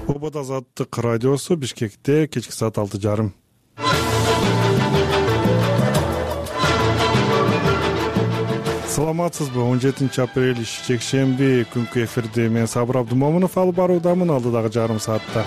Обод Азаттык радиосу Бишкекте кечки саат 6:30. Саламатсызбы? 17 апрель жекшемби күнкү эфирде мен Сабыр Абдумомунов алып баруудамын. Алдыдагы жарым саатта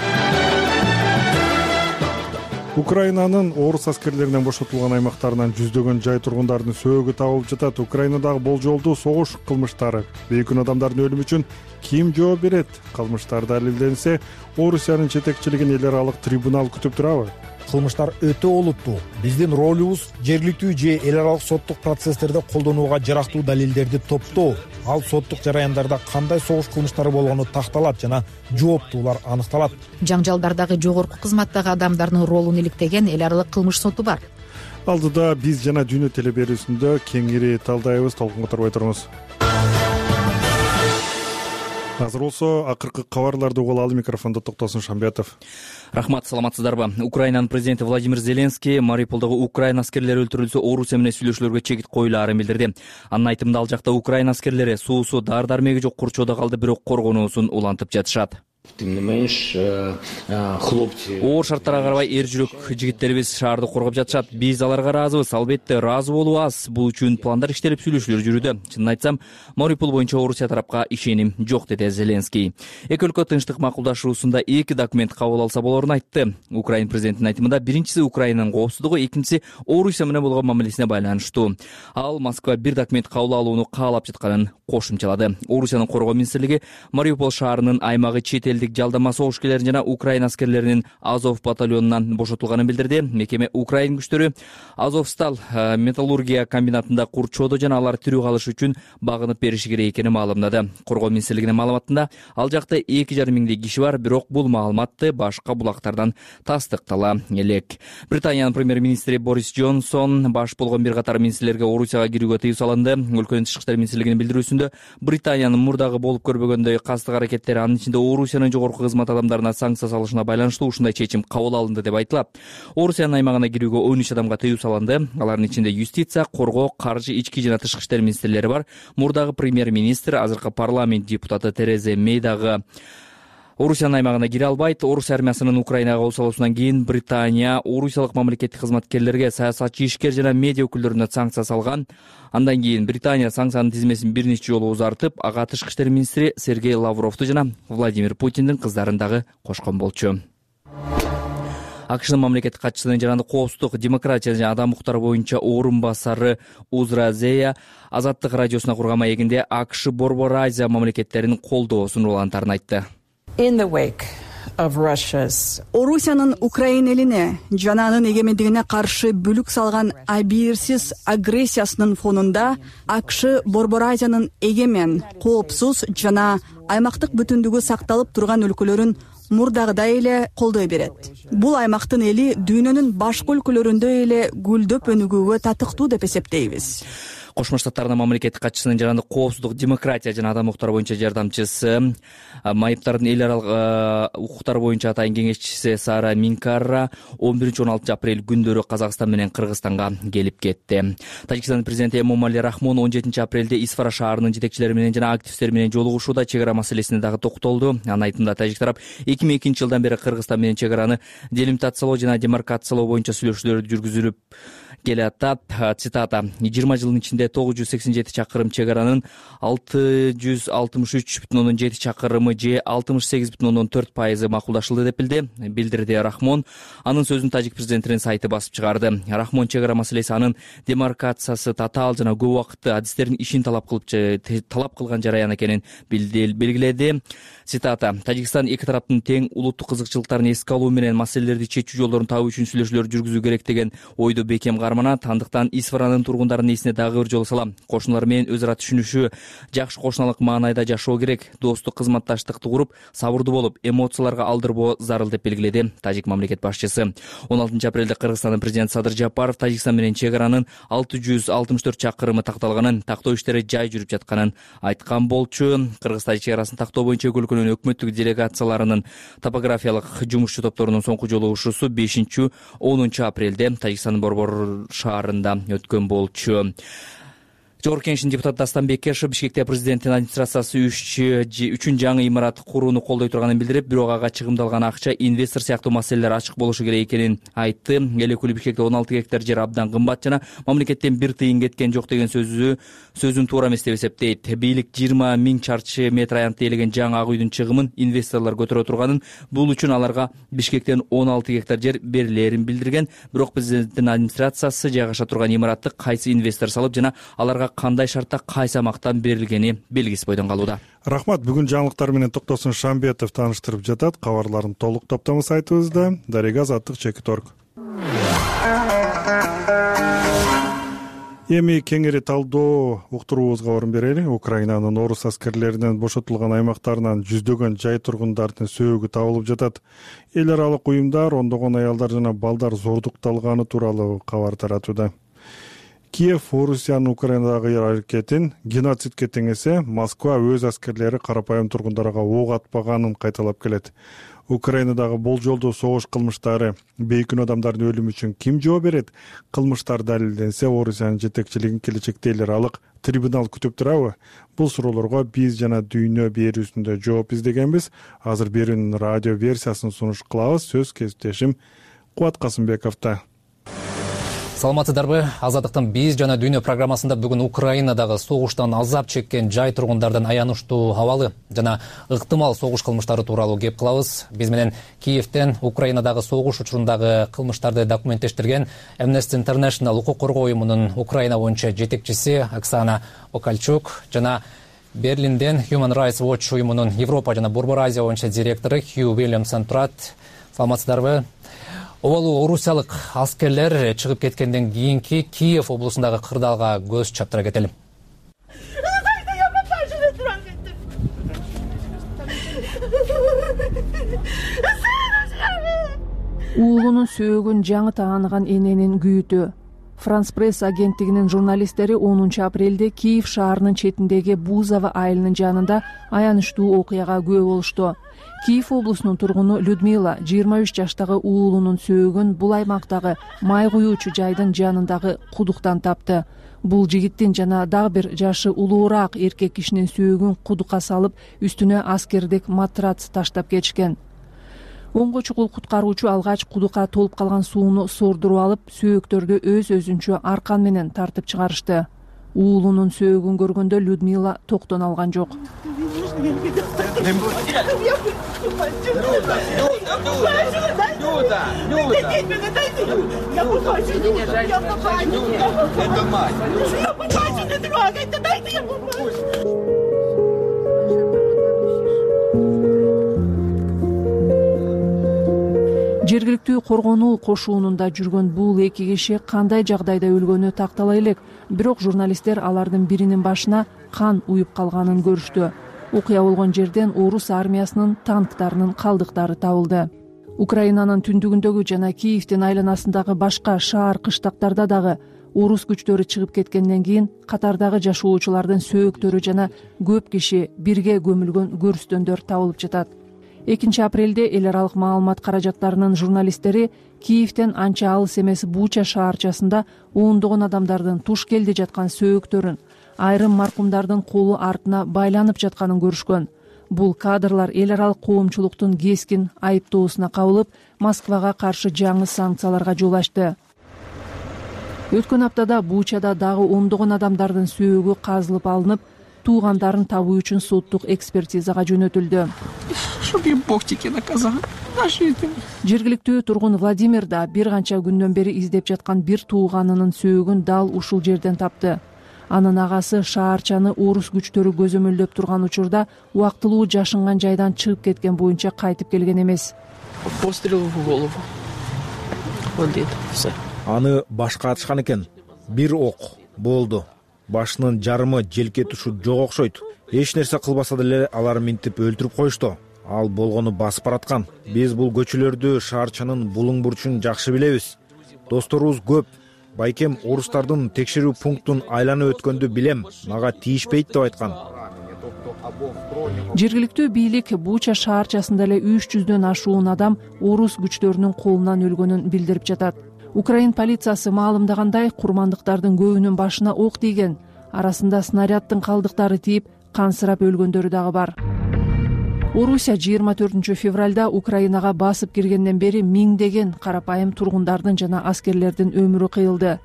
Украинанын орус аскерлеринен бошотулган аймактарынан жүздөгөн жай тургундардын сөөгү табылып жатат. Украинадагы болжолдуу согуш кылмыштары, бейкүнөө адамдардын өлүмү үчүн ким жооп берет? Кылмыштар далилденсе, Орусиянын жетекчилигин эл аралык трибунал күтүп турабы? Кылмыштар өтө олуттуу. Биздин ролубуз жергиликтүү же эл аралык соттук процесстерде колдонууга жарактуу далилдерди топтоо. Ал соттук жараяндарда кандай согуш кылмыштары болгону такталат жана жооптуулар аныкталат. Жаңжалдардагы жогорку кызматтагы адамдардын ролун иликтеген эл аралык кылмыш соту бар. Алдыда биз жана Дүйнө телеберүүсүндө кеңири талдайбыз, толкун которбой туруңуз. Азыр болсо акыркы кабарларды угуп алалы. Микрофондо Токтосун Шамбетов. Рахмат, саламатсыздарбы? Украинанын президенти Владимир Зеленский Мариуполдогу Украина аскерлери өлтүрүлсө, Орусия менен сүйлөшүүлөргө чегит коюлаарын билдирди. Анын айтымында ал жакта Украина аскерлери суусу, дары-дармеги жок курчоодо калды, бирок коргонуусун улантып жатышат. Оор шарттарга карабай эр жүрөк жигиттерибиз шаарды коргоп жатышат. Биз аларга ыраазыбыз, албетте ыраазы болуу аз. Бул үчүн пландар иштелип, сүйлөшүүлөр жүрүүдө. Чынын айтсам, Мариуполь боюнча Орусия тарапка ишеним жок, деди Зеленский. Эки өлкө тынчтык макулдашуусунда эки документ кабыл алса болоорун айтты. Украин президентинин айтымында биринчиси Украинанын коопсуздугу, экинчиси Орусия менен болгон мамилесине байланыштуу. Ал Москва бир документ кабыл алууну каалап жатканын кошумчалады. Орусиянын коргоо министрлиги Мариуполь шаарынын аймагы чет элдик жалдама согушкерлерин жана Украина аскерлеринин Азов батальонунан бошотулганын билдирди. Мекеме Украин күчтөрү Азовсталь металлургия комбинатында курчоодо жана алар тирүү калыш үчүн багынып бериши керек экенин маалымдады. Коргоо министрлигинин маалыматында ал жакта 2,5 миңдей киши бар, бирок бул маалыматты башка булактардан тастыктала элек. Британиянын премьер-министри Борис Джонсон баш болгон бир катар министрлерге Орусияга кирүүгө тыюу салынды. Өлкөнүн тышкы иштер министрлигинин билдирүүсүндө Британиянын мурдагы болуп көрбөгөндөй кастык аракеттери, анын ичинде Орусиянын жогорку кызмат адамдарына санкция салышына байланыштуу ушундай чечим кабыл алынды деп айтылат. Орусиянын аймагына кирүүгө 13 адамга тыюу салынды. Алардын ичинде юстиция, коргоо, каржы, ички жана тышкы иштер министрлери бар. Мурдагы премьер-министр, азыркы парламент депутаты Тереза Мэй дагы Орусиянын аймагына кире албайт. Орус армиясынын Украинага кол салуусунан кийин Британия орусиялык мамлекеттик кызматкерлерге, саясатчы, ишкер жана медиа өкүлдөрүнө санкция салган. Андан кийин Британия санкциянын тизмесин бир нече жолу узартып, ага тышкы иштер министри Сергей Лавровду жана Владимир Путиндин кыздарын дагы кошкон болчу. АКШнын мамлекеттик катчысынын жарандык коопсуздук, демократия жана адам укуктары боюнча орун басары Узра Зея Азаттык радиосуна курган маегинде АКШ Борбор Азия мамлекеттеринин колдоосун улантарын айтты. Орусиянын Украина элине жана анын эгемендигине каршы бүлүк салган абийирсиз агрессиясынын фонунда АКШ Борбор Азиянын эгемен, коопсуз жана аймактык бүтүндүгү сакталып турган өлкөлөрүн мурдагыдай эле колдой берет. Бул аймактын эли дүйнөнүн башка өлкөлөрүндөй эле гүлдөп өнүгүүгө татыктуу деп эсептейбиз. Кошмо Штаттардын мамлекеттик катчысынын жарандык коопсуздук, демократия жана адам укуктары боюнча жардамчысы, майыптардын эл аралык укуктары боюнча атайын кеңешчиси Сара Минкара 11-16 апрель күндөрү Казакстан менен Кыргызстанга келип кетти. Тажикстандын президенти Эмомали Рахмон 17 апрелде Исфара шаарынын жетекчилери менен жана активисттер менен жолугушууда чек ара маселесине дагы токтолду. Анын айтымында тажик тарап 2002 жылдан бери Кыргызстан менен чек араны делимитациялоо жана демаркациялоо боюнча сүйлөшүүлөр жүргүзүлүп келатат. Цитата: 20 жылдын ичинде 987 чакырым чек аранын 663,7 чакырымы же 68,4% макулдашылды деп билдирди Рахмон. Анын сөзүн тажик президентинин сайты басып чыгарды. Рахмон чек ара маселеси анын демаркациясы татаал жана көп убакытты адистердин ишин талап кылган жараян экенин белгиледи. Цитата: Тажикстан эки тараптын тең улуттук кызыкчылыктарын эске алуу менен маселелерди чечүү жолдорун табуу үчүн сүйлөшүүлөр жүргүзүү керек деген ойду бекем карманат. Андыктан Исфаранын тургундарынын эсине дагы бир жолу салам. Кошуналар менен өз ара түшүнүшүү, жакшы кошуналык маанайда жашоо керек. Достук, кызматташтыкты куруп, сабырдуу болуп, эмоцияларга алдырбоо зарыл деп белгиледи тажик мамлекет башчысы. 16 апрелде Кыргызстандын президенти Садыр Жапаров Тажикстан менен чек аранын 664 чакырымы такталганын, тактоо иштери жай жүрүп жатканын айткан болчу. Кыргыз-Тажик чек арасын тактоо боюнча өлкөнүн өкмөттүк делегацияларынын топографиялык жумушчу топторунун соңку жолугушуусу 5-10 апрелде Тажикстандын Борбор шаарында өткөн болчу. Жогорку Кеңештин депутаты Дастан Бекешев Бишкекте президенттин администрациясы үчүн жаңы имарат курууну колдой турганын билдирип, бирок ага чыгымдалган акча, инвестор сыяктуу маселелер ачык болушу керек экенин айтты. Эл өкүлү Бишкекте 16 гектар жер абдан кымбат жана мамлекеттен бир тыйын кеткен жок деген сөзүн туура эмес деп эсептейт. Бийлик 20 000 чарчы метр аянтты ээлеген жаңы ак үйдүн чыгымын инвесторлор көтөрө турганын, бул үчүн аларга Бишкектен 16 гектар жер берилерин билдирген. Бирок президенттин администрациясы жайгаша турган имаратты кайсы инвестор салып жана аларга кандай шартта кайсы аймактан берилгени белгисиз бойдон калууда. Рахмат. Бүгүн жаңылыктар менен Токтосун Шамбетов тааныштырып жатат. Кабарлардын толук топтому сайтыбызда. Дарега Азаттык Чекиторг. Эми кеңири талдоо уктуруубузга орун берели. Украинанын орус аскерлеринен бошотулган аймактарынан жүздөгөн жай тургундардын сөөгү табылып жатат. Эл аралык уюмдар ондогон аялдар жана балдар зордукталганы тууралуу кабар таратууда. Киев Орусиянын Украинадагы аракетин геноцидке теңесе, Москва өз аскерлери карапайым тургундарга ок атпаганын кайталап келет. Украинадагы болжолдуу согуш кылмыштары, бейкүнөө адамдардын өлүмү үчүн ким жооп берет? Кылмыштар далилденсе, Орусиянын жетекчилигин келечекте эл аралык трибунал күтүп турабы? Бул суроолорго биз жана Дүйнө берүүсүндө жооп издегенбиз. Азыр берүүнүн радио версиясын сунуш кылабыз. Сөз кесиптешим Кубат Касымбековдо. Саламатсыздарбы? Азаттыктын биз жана Дүйнө программасында бүгүн Украинадагы согуштан азап чеккен жай тургундардын аянычтуу абалы жана ыктымал согуш кылмыштары тууралуу кеп кылабыз. Биз менен Киевтен Украинадагы согуш учурундагы кылмыштарды документтештирген Amnesty International укук коргоо уюмунун Украина боюнча жетекчиси Оксана Окальчук жана Берлинден Human Rights Watch уюмунун Европа жана Борбор Азия боюнча директору Хью Уильямсон турат. Саламатсыздарбы? Обалуу орусиялык аскерлер чыгып кеткенден кийинки Киев облусундагы кырдаалга көз чаптыра кетели. Уулунун сөөгүн жаңы тааныган эненин күйүтү. Франс пресс агенттигинин журналисттери 10 апрелде Киев шаарынын четиндеги Бузово айылынын жанында аянычтуу окуяга күбө болушту. Киев облусунун тургуну Людмила 23 жаштагы уулунун сөөгүн бул аймактагы май куюучу жайдын жанындагы кудуктан тапты. Бул жигиттин жана дагы бир жашы улуураак эркек кишинин сөөгүн кудукка салып, үстүнө аскердик матрац таштап кетишкен. Оңго чукул куткаруучу алгач кудукка толуп калган сууну сордуруп алып, сөөктөрдү өз-өзүнчө аркан менен тартып чыгарышты. Уулунун сөөгүн көргөндө Людмила токтон алган жок. Жергиликтүү коргонуу кошуунунда жүргөн бул эки киши кандай жагдайда өлгөнү тактала элек, бирок журналисттер алардын биринин башына кан уюп калганын көрүштү. Окуя болгон жерден орус армиясынын танктарынын калдыктары табылды. Украинанын түндүгүндөгү жана Киевдин айланасындагы башка шаар кыштактарда дагы орус күчтөрү чыгып кеткенден кийин катардагы жашоочулардын сөөктөрү жана көп киши бирге көмүлгөн көрүстөндөр табылып жатат. 2 апрелде эл аралык маалымат каражаттарынын журналисттери Киевден анча алыс эмес Буча шаарчасында ондогон адамдардын туш келди жаткан сөөктөрүн, айрым маркумдардын колу артына байланып жатканын көрүшкөн. Бул кадрлар эл аралык коомчулуктун кескин айыптоосуна кабылып, Москвага каршы жаңы санкцияларга жол ачты. Өткөн аптада Бучада дагы ондогон адамдардын сөөгү казылып алынып, туугандарын табуу үчүн соттук экспертизага жөнөтүлдү. Жергиликтүү тургун Владимир да бир канча күндөн бери издеп жаткан бир тууганынын сөөгүн дал ушул жерден тапты. Анын агасы шаарчаны орус күчтөрү көзөмөлдөп турган учурда убактылуу жашынган жайдан чыгып кеткен боюнча кайтып келген эмес. Аны башка атышкан экен. Бир ок болду. Башынын жарымы желке тушу жок окшойт. Эч нерсе кылбаса деле алар минтип өлтүрүп коюшту. Ал болгону басып бараткан. Биз бул көчөлөрдү шаарчанын булуң бурчун жакшы билебиз. Досторубуз көп. Байкем орустардын текшерүү пунктун айланып өткөндү билем. Мага тийишпейт деп айткан. Жергиликтүү бийлик Буча шаарчасында эле 300дөн ашуун адам орус күчтөрүнүн колунан өлгөнүн билдирип жатат. Украин полициясы маалымдагандай, курмандыктардын көбүнүн башына ок тийген. арасында снаряддын калдыктары тийип кансырап өлгөндөрү дагы бар. Орусия 24 февралда Украинага басып киргенден бери миңдеген карапайым тургундардын жана аскерлердин өмүрү кыйылды.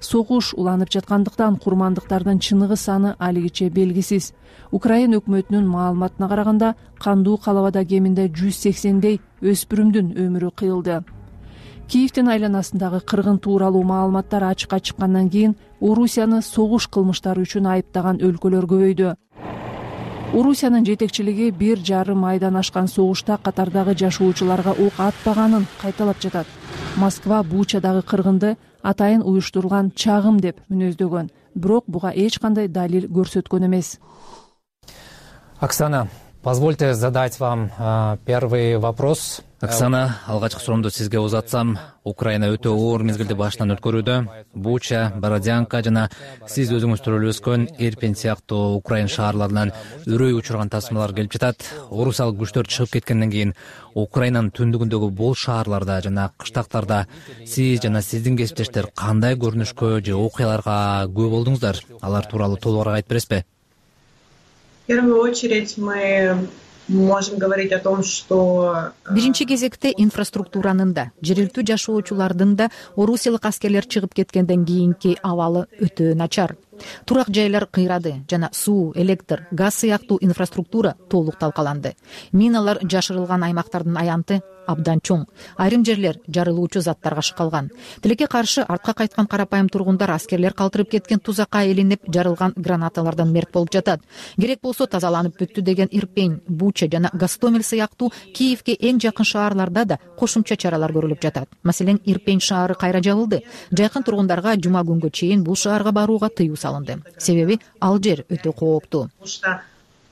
Согуш уланып жаткандыктан курмандыктардын чыныгы саны алигиче белгисиз. Украин өкмөтүнүн маалыматына караганда кандуу калабада кеминде 180дей өспүрүмдүн өмүрү кыйылды. Киевдин айланасындагы кыргын тууралуу маалыматтар ачыкка чыккандан кийин Орусияны согуш кылмыштары үчүн айыптаган өлкөлөр көбөйдү. Орусиянын жетекчилиги 1,5 айдан ашкан согушта катардагы жашоочуларга ок атпаганын кайталап жатат. Москва Бучадагы кыргынды атайын уюштурулган чагым деп мүнөздөгөн, бирок буга эч кандай далил көрсөткөн эмес. Оксана, позвольте задать вам первый вопрос. Оксана, алгачкы суроомду сизге узатсам, Украина өтө оор мезгилди башынан өткөрүүдө. Буча, Бородянка жана сиз өзүңүз төрөлүп өскөн Ирпень сыяктуу Украин шаарларынан үрөй учурган тасмалар келип жатат. Орусиялык күчтөр чыгып кеткенден кийин Украинанын түндүгүндөгү бул шаарларда жана кыштактарда сиз жана сиздин кесиптештер кандай көрүнүшкө же окуяларга күбө болдуңуздар? Алар тууралуу толугураак айтып бересизби? В первую очередь мы можем говорить о том, что биринчи кезекте инфраструктуранын да, жергиликтүү жашоочулардын да орусиялык аскерлер чыгып кеткенден кийинки абалы өтө начар. Турак жайлар кыйрады жана суу, электр, газ сыяктуу инфраструктура толук талкаланды. Миналар жашырылган аймактардын аянты абдан чоң. Айрым жерлер жарылуучу заттарга шыкалган. Тилекке каршы артка кайткан карапайым тургундар аскерлер калтырып кеткен тузакка илинип жарылган гранаталардан мерт болуп жатат. Керек болсо тазаланып бүттү деген Ирпень, Буча жана Гостомель сыяктуу Киевге эң жакын шаарларда да кошумча чаралар көрүлүп жатат. Маселен, Ирпень шаары кайра жабылды. Жакын тургундарга жума күнгө чейин бул шаарга барууга тыюу салынды. Себеби ал жер өтө кооптуу.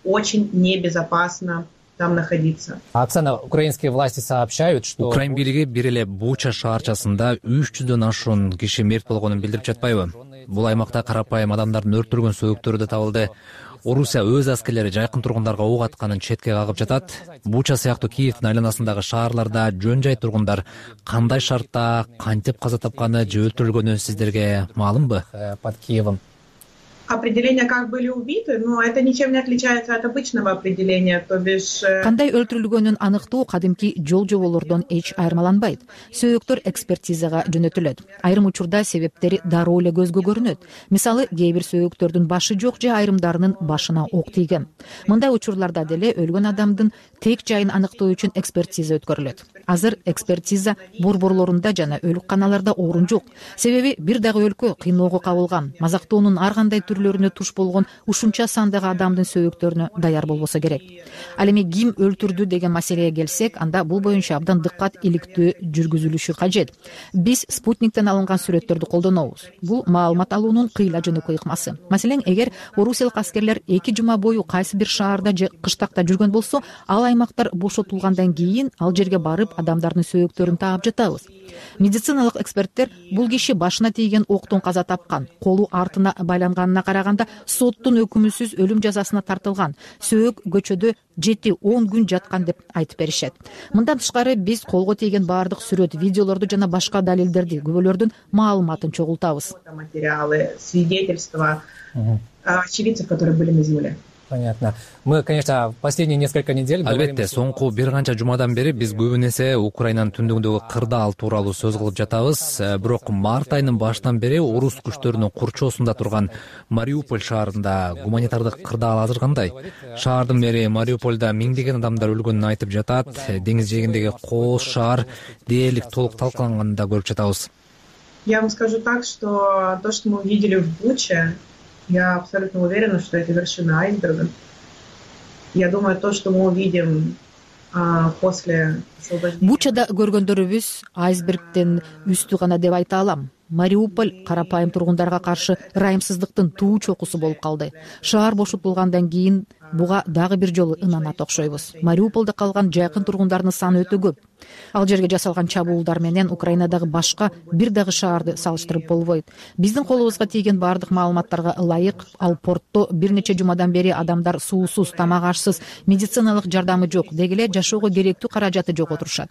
Очень небезопасно там находиться. Оксана, украинские власти сообщают, что Украин бийлиги бир эле Буча шаарчасында 300дөн ашуун киши мерт болгонун билдирип жатпайбы? Бул аймакта карапайым адамдардын өрттөлгөн сөөктөрү да табылды. Орусия өз аскерлери жакын тургундарга ок атканын четке кагып жатат. Буча сыяктуу Киевдин айланасындагы шаарларда жөн жай тургундар кандай шартта кантип каза тапканы же өлтүрүлгөнү сиздерге маалымбы? Под Киевом. Определение, как были убиты, но это ничем не отличается от обычного определения, то бишь... Кандай өлтүрүлгөнүн аныктоо кадимки жол жоболордон эч айырмаланбайт. Сөөктөр экспертизага жөнөтүлөт. Айрым учурда себептери дароо эле көзгө көрүнөт. Мисалы, кээ бир сөөктөрдүн башы жок же айрымдарынын башына ок тийген. Мындай учурларда деле өлгөн адамдын тек жайын аныктоо үчүн экспертиза өткөрүлөт. Азыр экспертиза борборлорунда жана өлүкканаларда орун жок. Себеби бир дагы өлкө кыйноого кабылган, мазактоонун ар кандай түрлөрүнө туш болгон ушунча сандагы адамдын сөөктөрүнө даяр болбосо керек. Ал эми ким өлтүрдү деген маселеге келсек, анда бул боюнча абдан дыккат иликтөө жүргүзүлүшү кажет. Биз спутниктен алынган сүрөттөрдү колдонобуз. Бул маалымат алуунун кыйла жөнөкөй ыкмасы. Маселен, эгер орусиялык аскерлер 2 жума бою кайсы бир шаарда же кыштакта жүргөн болсо, ал аймактар бошотулгандан кийин ал жерге барып адамдардын сөөктөрүн таап жатабыз. Медициналык эксперттер бул киши башына тийген октон каза тапкан, колу артына байланганына караганда соттун өкүмүсүз өлүм жазасына тартылган, сөөк көчөдө 7-10 күн жаткан деп айтып беришет. Мындан тышкары биз колго тийген баардык сүрөт, видеолорду жана башка далилдерди, күбөлөрдүн маалыматын чогултабыз. Материалы, свидетельства очевидцев, которые были на земле. Понятно. Мы, конечно, последние несколько недель... Албетте, соңку бир канча жумадан бери биз көбүн эсе Украинанын түндүгүндөгү кырдаал тууралуу сөз кылып жатабыз. Бирок март айынын башынан бери орус күчтөрүнүн курчоосунда турган Мариуполь шаарында гуманитардык кырдаал азыр кандай? Шаардын мэри Мариупольда миңдеген адамдар өлгөнүн айтып жатат. Деңиз жээгиндеги кооз шаар дээрлик толук талкаланганын да көрүп жатабыз. Я вам скажу так, что то, что мы увидели в Буче, я абсолютно уверена, что это вершина айсберга. Я думаю, то, что мы увидим после освобождения... Бучада көргөндөрүбүз айсбергден үстү гана деп айта алам. Мариуполь карапайым тургундарга каршы ырайымсыздыктын туу чокусу болуп калды. Шаар бошотулгандан кийин буга дагы бир жолу ынанат окшойбуз. Мариуполдо калган жакын тургундардын саны өтө көп. Ал жерге жасалган чабуулдар менен Украинадагы башка бир дагы шаарды салыштырып болбойт. Биздин колубузга тийген баардык маалыматтарга ылайык, ал портто бир нече жумадан бери адамдар суусуз, тамак ашсыз, медициналык жардамы жок, деги эле жашоого керектүү каражаты жок отурушат.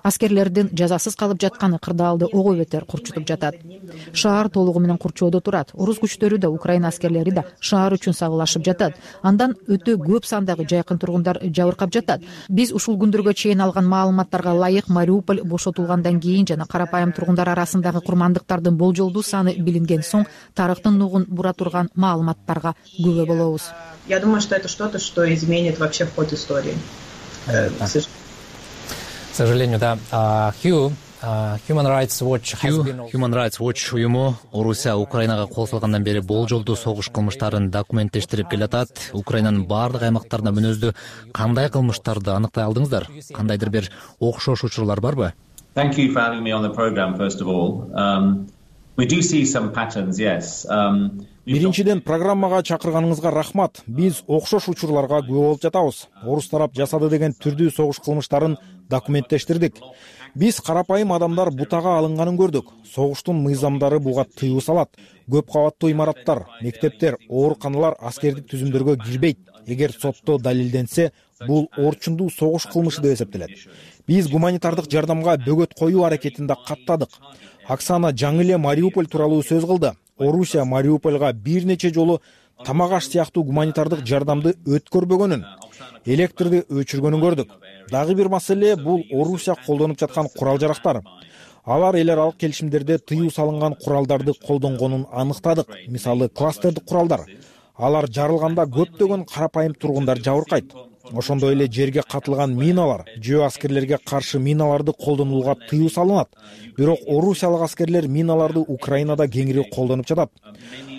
Аскерлердин жазасыз калып жатканы кырдаалды ого бетер курчутуп жатат. Шаар толугу менен курчоодо турат. Орус күчтөрү да, Украина аскерлери да шаар үчүн сагылашып жатат. Андан өтө көп сандагы жайкын тургундар жабыркап жатат. Биз ушул күндөргө чейин алган маалыматтарга ылайык Мариуполь бошотулгандан кийин жана карапайым тургундар арасындагы курмандыктардын болжолдуу саны билинген соң тарыхтын нугун бура турган маалыматтарга күбө болобуз. Я думаю, что это что-то, что изменит вообще ход истории. К сожалению, да. Human Rights Watch уюму Орусия Украинага кол салгандан бери болжолдуу согуш кылмыштарын документтештирип келатат. Украинанын баардык аймактарында мүнөздүү кандай кылмыштарды аныктай алдыңыздар? Кандайдыр бир окшош учурлар барбы? Thank you for having me on the program, first of all. We do see some patterns, yes. Биринчиден, программага чакырганыңызга рахмат. Биз окшош учурларга күбө болуп жатабыз. Орус тарап жасады деген түрдүү согуш кылмыштарын документтештирдик. Биз карапайым адамдар бутага алынганын көрдүк. Согуштун мыйзамдары буга тыюу салат. Көп кабаттуу имараттар, мектептер, ооруканалар аскердик түзүмдөргө кирбейт. Эгер сотто далилденсе, бул орчундуу согуш кылмышы деп эсептелет. Биз гуманитардык жардамга бөгөт коюу аракетинде каттадык. Оксана жаңы эле Мариуполь тууралуу сөз кылды. Орусия Мариупольга бир нече жолу тамак аш сыяктуу гуманитардык жардамды өткөрбөгөнүн, электрди өчүргөнүн көрдүк. Дагы бир маселе бул Орусия колдонуп жаткан курал-жарактар. Алар эл аралык келишимдерде тыюу салынган куралдарды колдонгонун аныктадык. Мисалы, кластердик куралдар. Алар жарылганда көптөгөн карапайым тургундар жабыркайт. Ошондой эле жерге катылган миналар, жөө аскерлерге каршы миналарды колдонууга тыюу салынат. Бирок орусиялык аскерлер миналарды Украинада кеңири колдонуп жатат.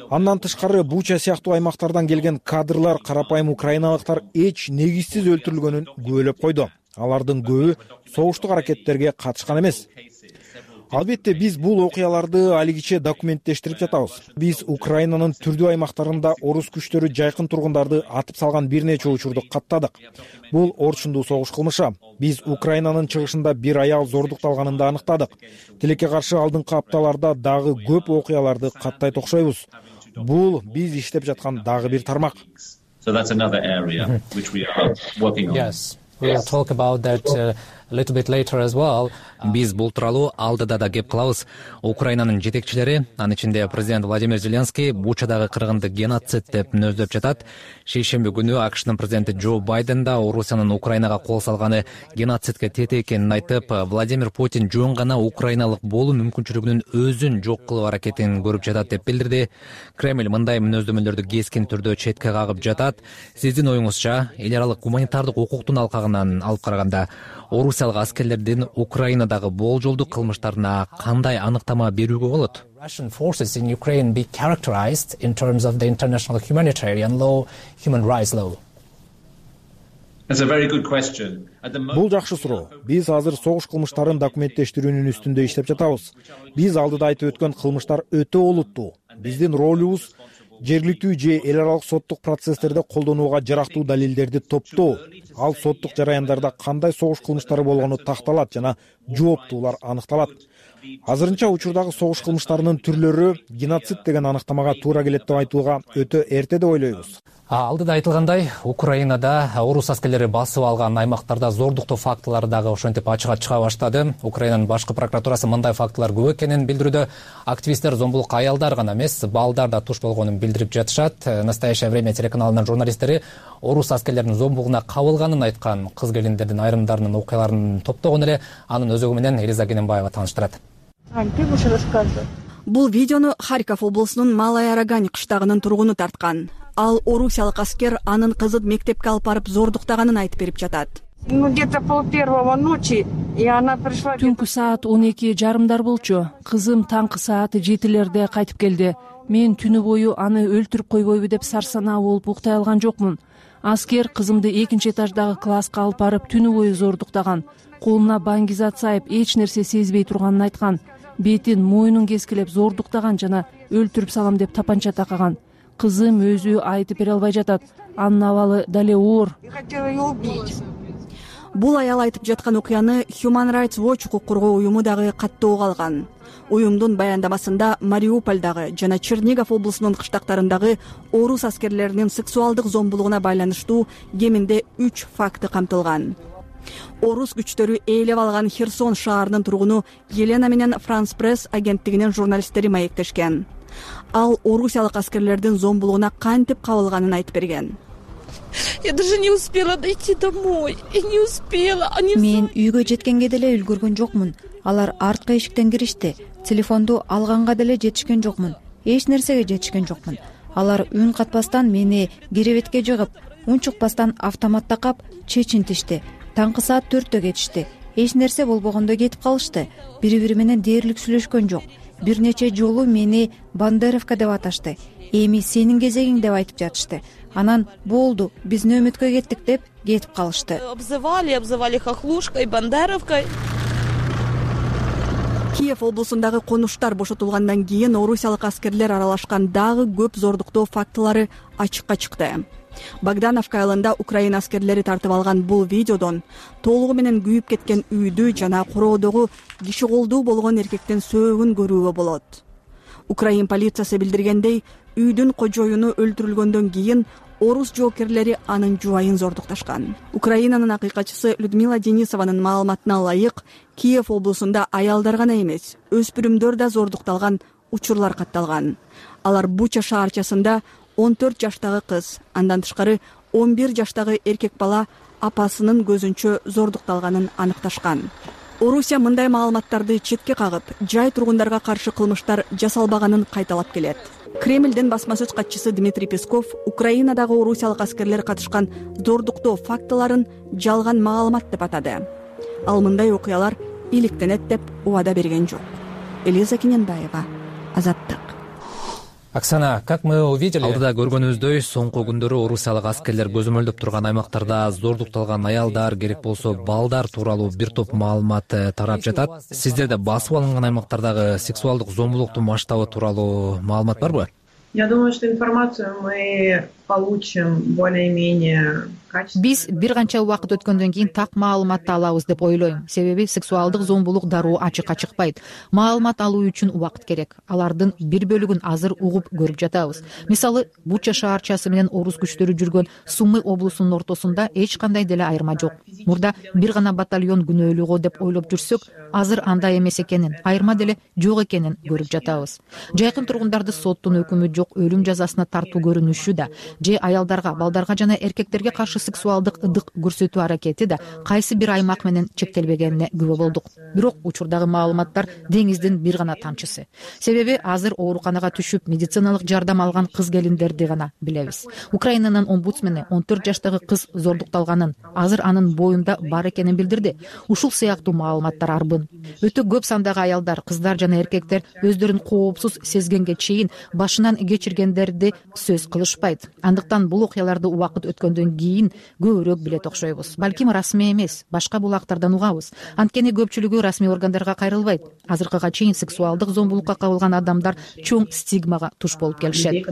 Андан тышкары Буча сыяктуу аймактардан келген кадрлар карапайым украиналыктар эч негизсиз өлтүрүлгөнүн күбөлөп койду. Алардын көбү согуштук аракеттерге катышкан эмес. Албетте биз бул окуяларды алигиче документтештирип жатабыз. Биз Украинанын түрдүү аймактарында орус күчтөрү жайкын тургундарды атып салган бир нече учурду каттадык. Бул орчундуу согуш кылмышы. Биз Украинанын чыгышында бир аял зордукталганын да аныктадык. Тилекке каршы алдыңкы апталарда дагы көп окуяларды каттайт окшойбуз. Бул биз иштеп жаткан дагы бир тармак. So that's another area which we are working on. Yes. We'll talk about that a little bit later as well. Биз бул тууралуу алдыда да кеп кылабыз. Украинанын жетекчилери, анын ичинде президент Владимир Зеленский Бучадагы кыргынды геноцид деп мүнөздөп жатат. Шейшемби күнү АКШнын президенти Джо Байден да Орусиянын Украинага кол салганы геноцидке тете экенин айтып, Владимир Путин жөн гана украиналык болуу мүмкүнчүлүгүнүн өзүн жок кылуу аракетин көрүп жатат деп билдирди. Кремль мындай мүнөздөмөлөрдү кескин түрдө четке кагып жатат. Сиздин оюңузча, эл аралык гуманитардык укуктун алкагынан алып караганда, орусиялык аскерлердин Украинадагы болжолдуу кылмыштарына кандай аныктама берүүгө болот? Russian forces in Ukraine be characterized in terms of the international humanitarian law, human rights law? That's a very good question. Бул жакшы суроо. Биз азыр согуш кылмыштарын документтештирүүнүн үстүндө иштеп жатабыз. Биз алдыда айтып өткөн кылмыштар өтө олуттуу. Биздин ролубуз жергиликтүү же эл аралык соттук процесстерде колдонууга жарактуу далилдерди топтоо. Ал соттук жараяндарда кандай согуш кылмыштары болгону такталат жана жооптуулар аныкталат. Азырынча учурдагы согуш кылмыштарынын түрлөрү геноцид деген аныктамага туура келет деп айтууга өтө эрте деп ойлойбуз. Алдыда айтылгандай, Украинада орус аскерлери басып алган аймактарда зордуктоо фактылары дагы ошентип ачыкка чыга баштады. Украинанын башкы прокуратурасы мындай фактылар көп экенин билдирүүдө. Активисттер зомбулукка аялдар гана эмес, балдар да туш болгонун билдирип жатышат. Настоящее время телеканалынын журналисттери орус аскерлеринин зомбулугуна кабылганын айткан кыз келиндердин айрымдарынын окуяларын топтогон эле. Анын өзөгү менен Элиза Генембаева тааныштырат. Бул видеону Харьков облусунун Малая Рогань кыштагынын тургуну тарткан. Ал орусиялык аскер анын кызын мектепке алып барып зордуктаганын айтып берип жатат. Түнкү саат 12:30 болчу. Кызым таңкы саат 7:00 кайтып келди. Мен түнү бою аны өлтүрүп койбойбу деп сарсанаа болуп уктай алган жокмун. Аскер кызымды 2-этаждагы класска алып барып түнү бою зордуктаган. Колуна баңгизат сайып, эч нерсе сезбей турганын айткан. Бетин, мойнун кескилеп зордуктаган жана өлтүрүп салам деп тапанча такаган. Кызым өзү айтып бере албай жатат. Анын абалы дале оор. Бул аял айтып жаткан окуяны Human Rights Watch укук коргоо уюму дагы каттоого алган. Уюмдун баяндамасында Мариупольдагы жана Чернигов облусунун кыштактарындагы орус аскерлеринин сексуалдык зомбулугуна байланыштуу кеминде 3 факты камтылган. Орус күчтөрү ээлеп алган Херсон шаарынын тургуну Елена менен France Press агенттигинин журналисттери маектешкен. Ал орусиялык аскерлердин зомбулугуна кантип кабылганын айтып берген. Я даже не успела дойти домой. Я не успела. Мен үйгө жеткенге деле үлгүргөн жокмун. Алар арткы эшиктен киришти. Телефонду алганга деле жетишкен жокмун. Эч нерсеге жетишкен жокмун. Алар үн катпастан мени керебетке жыгып, унчукпастан автомат такап чечинтишти. Таңкы саат 4-тө кетишти. Эч нерсе болбогондой кетип калышты. Бири-бири менен дээрлик сүйлөшкөн жок. Бир нече жолу мени Бандеровка деп аташты. Эми сенин кезегиң деп айтып жатышты. Анан болду, биз нөөмөткө кеттик деп кетип калышты. Обзывали хохлушкой, Бандеровкой. Киев облусундагы конуштар бошотулгандан кийин орусиялык аскерлер аралашкан дагы көп зордуктоо фактылары ачыкка чыкты. Богдановка айылында Украина аскерлери тартып алган бул видеодон толугу менен күйүп кеткен үйдү жана короодогу киши колдуу болгон эркектин сөөгүн көрүүгө болот. Украин полициясы билдиргендей, үйдүн кожоюну өлтүрүлгөндөн кийин орус жоокерлери анын жубайын зордукташкан. Украинанын акыйкатчысы Людмила Денисованын маалыматына ылайык, Киев облусунда аялдар гана эмес, өспүрүмдөр да зордукталган учурлар катталган. Алар Буча шаарчасында 14 жаштагы кыз, андан тышкары 11 жаштагы эркек бала апасынын көзүнчө зордукталганын аныкташкан. Орусия мындай маалыматтарды четке кагып, жай тургундарга каршы кылмыштар жасалбаганын кайталап келет. Кремлдин басма сөз катчысы Дмитрий Песков Украинадагы орусиялык аскерлер катышкан зордуктоо фактыларын жалган маалымат деп атады. Ал мындай окуялар иликтенет деп убада берген жок. Элиза Кененбаева, Азаттык. Оксана, как мы увидели, алдыда көргөнүбүздөй, соңку күндөрү орусиялык аскерлер көзөмөлдөп турган аймактарда зордукталган аялдар, керек болсо балдар тууралуу бир топ маалымат тарап жатат. Сиздерде басып алынган аймактардагы сексуалдык зомбулуктун масштабы тууралуу маалымат барбы? Я думаю, что информацию мы получим более-менее качественно. Биз бир канча убакыт өткөндөн кийин так маалыматты алабыз деп ойлойм. Себеби сексуалдык зомбулук дароо ачыкка чыкпайт. Маалымат алуу үчүн убакыт керек. Алардын бир бөлүгүн азыр угуп көрүп жатабыз. Мисалы, Буча шаарчасы менен орус күчтөрү жүргөн Сумы облусунун ортосунда эч кандай деле айырма жок. Мурда бир гана батальон күнөөлүү деп ойлоп жүрсөк, азыр андай эмес экенин, айырма деле жок экенин көрүп жатабыз. Жайкын тургундарды соттун өкүмү жок өлүм жазасына тартуу көрүнүшү да, же аялдарга, балдарга жана эркектерге каршы сексуалдык ыдык көрсөтүү аракети да кайсы бир аймак менен чектелбегенине күбө болдук. Бирок учурдагы маалыматтар деңиздин бир гана тамчысы. Себеби азыр ооруканага түшүп медициналык жардам алган кыз келиндерди гана билебиз. Украинанын омбудсмени 14 жаштагы кыз зордукталганын, азыр анын боюнда бар экенин билдирди. Ушул сыяктуу маалыматтар арбын. Өтө көп сандагы аялдар, кыздар жана эркектер өздөрүн коопсуз сезгенге чейин башынан кечиргендерди сөз кылышпайт. Андыктан бул окуяларды убакыт өткөндөн кийин көбүрөөк билет окшойбуз. Балким расмий эмес, башка булактардан угабыз. Анткени көпчүлүгү расмий органдарга кайрылбайт. Азыркыга чейин сексуалдык зомбулукка кабылган адамдар чоң стигмага туш болуп келишет.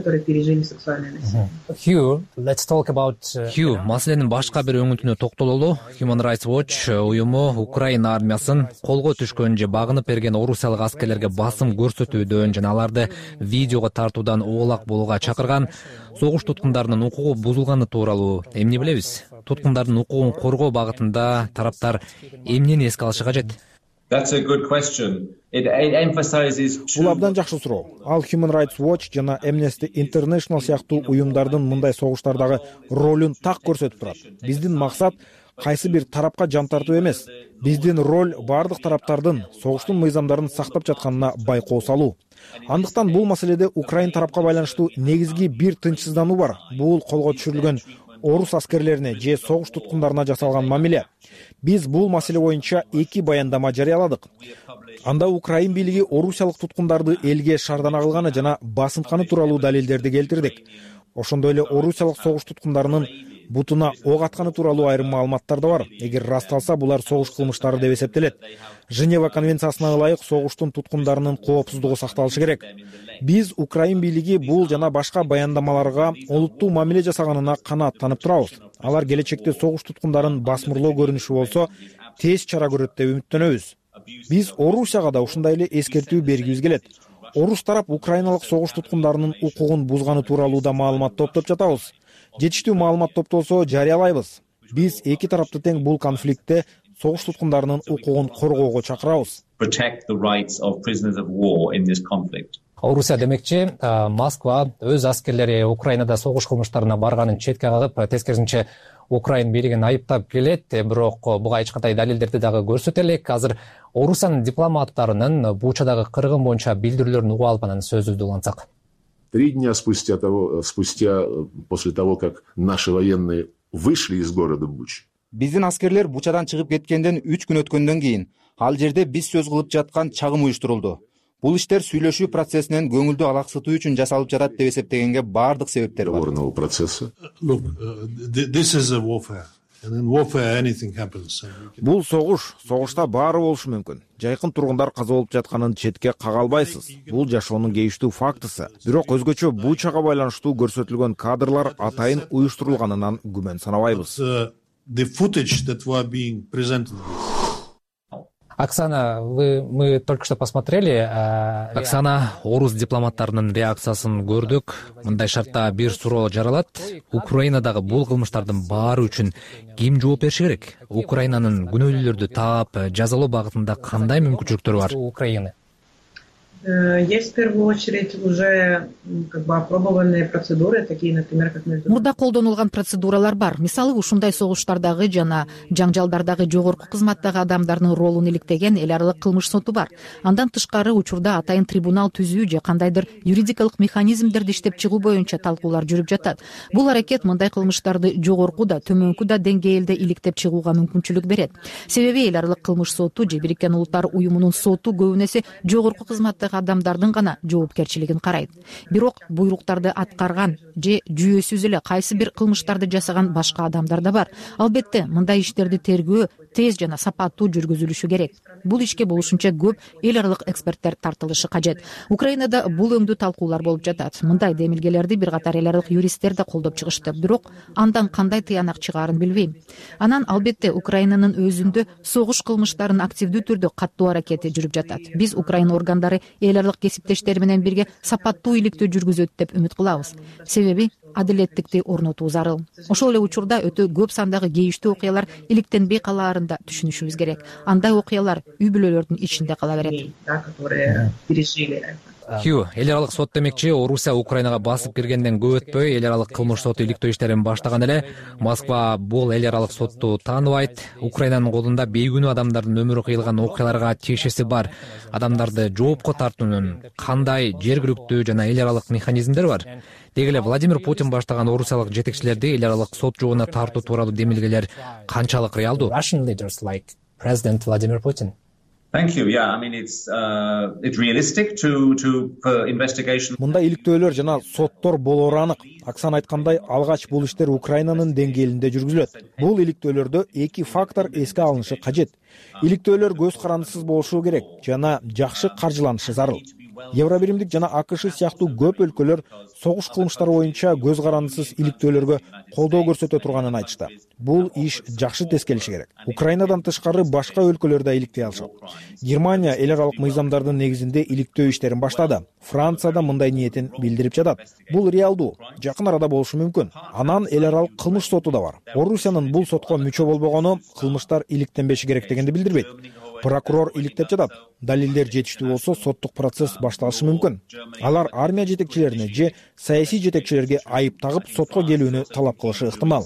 Хью, маселенин башка бир өңүтүнө токтололу. Human Rights Watch уюму Украина армиясын колго түшкөн же багынып берген орусиялык аскерлерге басым көрсөтүүдөн жана аларды видеого тартуудан оолак болууга чакырган. Согуш туткундарынын укугу бузулганы тууралуу эмне билебиз? Туткундардын укугун коргоо багытында тараптар эмнени эске алышы кажет? That's a good question. It emphasizes Бул абдан жакшы суроо. Ал Human Rights Watch жана Amnesty International сыяктуу уюмдардын мындай согуштардагы ролун так көрсөтүп турат. Биздин максат кайсы бир тарапка жан тартуу эмес. Биздин роль бардык тараптардын согуштун мыйзамдарын сактап жатканына байкоо салуу. Андыктан бул маселеде Украин тарапка байланыштуу негизги бир тынчсыздануу бар. Бул колго түшүрүлгөн орус аскерлерине же согуш туткундарына жасалган мамиле. Биз бул маселе боюнча 2 баяндама жарыяладык. Анда Украин бийлиги орусиялык туткундарды элге шаардана кылганы жана басынтканы тууралуу далилдерди келтирдик. Ошондой эле орусиялык согуш туткундарынын бутуна ок атканы тууралуу айрым маалыматтар да бар. Эгер расталса, булар согуш кылмыштары деп эсептелет. Женева конвенциясына ылайык согуштун туткундарынын коопсуздугу сакталышы керек. Биз Украин бийлиги бул жана башка баяндамаларга олуттуу мамиле жасаганына канааттанып турабыз. Алар келечекте согуш туткундарын басмырлоо көрүнүшү болсо, тез чара көрөт деп үмүттөнөбүз. Биз Орусияга да ушундай эле эскертүү бергибиз келет. Орус тарап украиналык согуш туткундарынын укугун бузганы тууралуу да маалымат топтоп жатабыз. Жетиштүү маалымат топтолсо жарыялайбыз. Биз эки тарапты тең бул конфликтте согуш туткундарынын укугун коргоого чакырабыз. Орусия демекчи, Москва өз аскерлери Украинада согуш кылмыштарына барганын четке кагып, тескерисинче Украин бийлигин айыптап келет, бирок буга эч кандай далилдерди дагы көрсөтө элек. Азыр Орусиянын дипломаттарынын Бучадагы кыргын боюнча билдирүүлөрүн угуп алып, анан сөзүбүздү улантсак. 3 дня спустя после того, как наши военные вышли из города Буч. Биздин аскерлер Бучадан чыгып кеткенден 3 күн өткөндөн кийин ал жерде биз сөз кылып жаткан чагым уюштурулду. Бул иштер сүйлөшүү процессинен көңүлдү алаксытуу үчүн жасалып жатат деп эсептегенге баардык себептер бар. Бул согушта баары болушу мүмкүн. Жайкын тургундар каза болуп жатканын четке кага албайсыз. Бул жашоонун кейиштүү фактысы. Бирок өзгөчө Бучага байланыштуу көрсөтүлгөн кадрлар атайын уюштурулганынан күмөн санабайбыз. Оксана, мы только что посмотрели. Оксана, орус дипломаттарынын реакциясын көрдүк. Мындай шартта бир суроо жаралат. Украинадагы бул кылмыштардын баары үчүн ким жооп бериши керек? Украинанын күнөөлүүлөрдү таап, жазалоо багытында кандай мүмкүнчүлүктөр бар? Украины. Есть в первую очередь уже опробованные процедуры, такие, например, как мурда колдонулган процедуралар бар. Мисалы, ушундай согуштардагы жана жаңжалдардагы жогорку кызматтагы адамдардын ролун иликтеген эл аралык кылмыш соту бар. Андан тышкары учурда атайын трибунал түзүү же кандайдыр юридикалык механизмдерди иштеп чыгуу боюнча талкуулар жүрүп жатат. Бул аракет мындай кылмыштарды жогорку да, төмөнкү да деңгээлде иликтеп чыгууга мүмкүнчүлүк берет. Себеби эл аралык кылмыш соту же Бириккен Улуттар уюмунун соту көбүн эсе жогорку кызматтагы адамдардын гана жоопкерчилигин карайт. Бирок буйруктарды аткарган же жүйөсүз эле кайсы бир кылмыштарды жасаган башка адамдар да бар. Албетте, мындай иштерди тергөө тез жана сапаттуу жүргүзүлүшү керек. Бул ишке болушунча көп эл аралык эксперттер тартылышы кажет. Украинада бул өңдүү талкуулар болуп жатат. Мындай демилгелерди бир катар эл аралык юристтер да колдоп чыгышты. Бирок андан кандай тыянак чыгаарын билбейм. Анан албетте Украинанын өзүндө согуш кылмыштарын активдүү түрдө каттуу аракети жүрүп жатат. Биз Украина органдары эл аралык кесиптештери менен бирге сапаттуу иликтөө жүргүзөт деп үмүт кылабыз. Себеби адилеттикти орнотуу зарыл. Ошол эле учурда өтө көп сандагы кейиштүү окуялар иликтенбей калаарын да түшүнүшүбүз керек. Андай окуялар үй бүлөлөрдүн ичинде кала берет. Эл аралык сот демекчи, Орусия Украинага басып киргенден көп өтпөй эл аралык кылмыш соту иликтөө иштерин баштаган эле. Москва бул эл аралык сотту тааныбайт. Украинанын колунда бейкүнүү адамдардын өмүрү кыйылган окуяларга тиешеси бар. Адамдарды жоопко тартуунун кандай жергиликтүү жана эл аралык механизмдер бар? Деги эле Владимир Путин баштаган орусиялык жетекчилерди эл аралык сот жообуна тартуу тууралуу демилгелер канчалык реалдуу? Russian leaders like President Vladimir Putin. Thank you. Yeah, I mean it's realistic for investigation. Мында иликтөөлөр жана соттор болоору анык. Оксана айткандай, алгач бул иштер Украинанын деңгээлинде жүргүзүлөт. Бул иликтөөлөрдө эки фактор эске алынышы кажет. Иликтөөлөр көз карандысыз болушу керек жана жакшы каржыланышы зарыл. Евробиримдик жана АКШ сыяктуу көп өлкөлөр согуш кылмыштары боюнча көз карандысыз иликтөөлөргө колдоо көрсөтө турганын айтышты. Бул иш жакшы тескелиши керек. Украинадан тышкары башка өлкөлөр да иликтей алышат. Германия эл аралык мыйзамдардын негизинде иликтөө иштерин баштады. Франция да мындай ниетин билдирип жатат. Бул реалдуу, жакын арада болушу мүмкүн. Анан эл аралык кылмыш соту да бар. Орусиянын бул сотко мүчө болбогону кылмыштар иликтенбеши керек дегенди билдирбейт. Прокурор иликтеп жатат. Далилдер жетиштүү болсо, соттук процесс башталышы мүмкүн. Алар армия жетекчилерине же саясий жетекчилерге айып тагып сотко келүүнү талап кылышы ыктымал.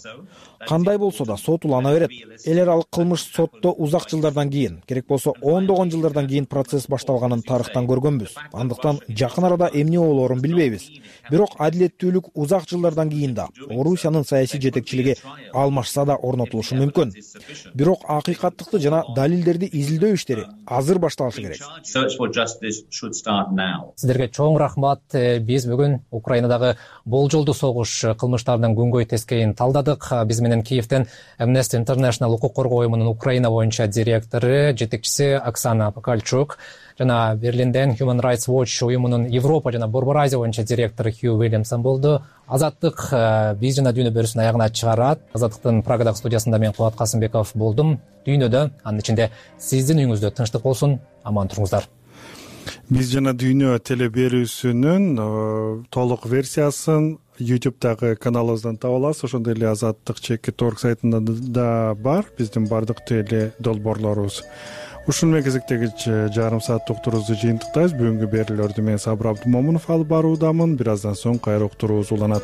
кандай болсо да сот улана берет. Эл аралык кылмыш сотто узак жылдардан кийин, керек болсо ондогон жылдардан кийин процесс башталганын тарыхтан көргөнбүз. Андыктан жакын арада эмне болоорун билбейбиз. Бирок адилеттүүлүк узак жылдардан кийин да Орусиянын саясий жетекчилиги алмашса да орнотулушу мүмкүн. Бирок акыйкаттыкты жана далилдерди изилдөө иштери азыр башталышы керек. Сиздерге чоң рахмат. Биз бүгүн Украинадагы болжолдуу согуш кылмыштарынын күнгөй тескейин талдадык. Биз менен Киевден Amnesty International укук коргоо уюмунун Украина боюнча директору, жетекчиси Оксана Покальчук жана Берлинден Human Rights Watch уюмунун Европа жана Борбор Азия боюнча директору Хью Уильямсон болду. Азаттык биз жана дүйнө берүүсүн аягына чыгарат. Азаттыктын Прагадагы студиясында мен Кубат Касымбеков болдум. Дүйнөдө, анын ичинде сиздин үйүңүздө тынчтык болсун. Аман туруңуздар. Биз жана дүйнө теле берүүсүнүн толук версиясын YouTube'дагы каналыбыздан таба аласыз. Ошондой эле Азаттык /org сайтында да бар биздин бардык теле долбоорлорубуз. Ушуну менен кезектеги жарым сааттык уктуруубузду жыйынтыктайбыз. Бүгүнкү берүүлөрдү мен Сабыр Абдымомунов алып баруудамын. Бир аздан соң кайра уктуруубуз уланат.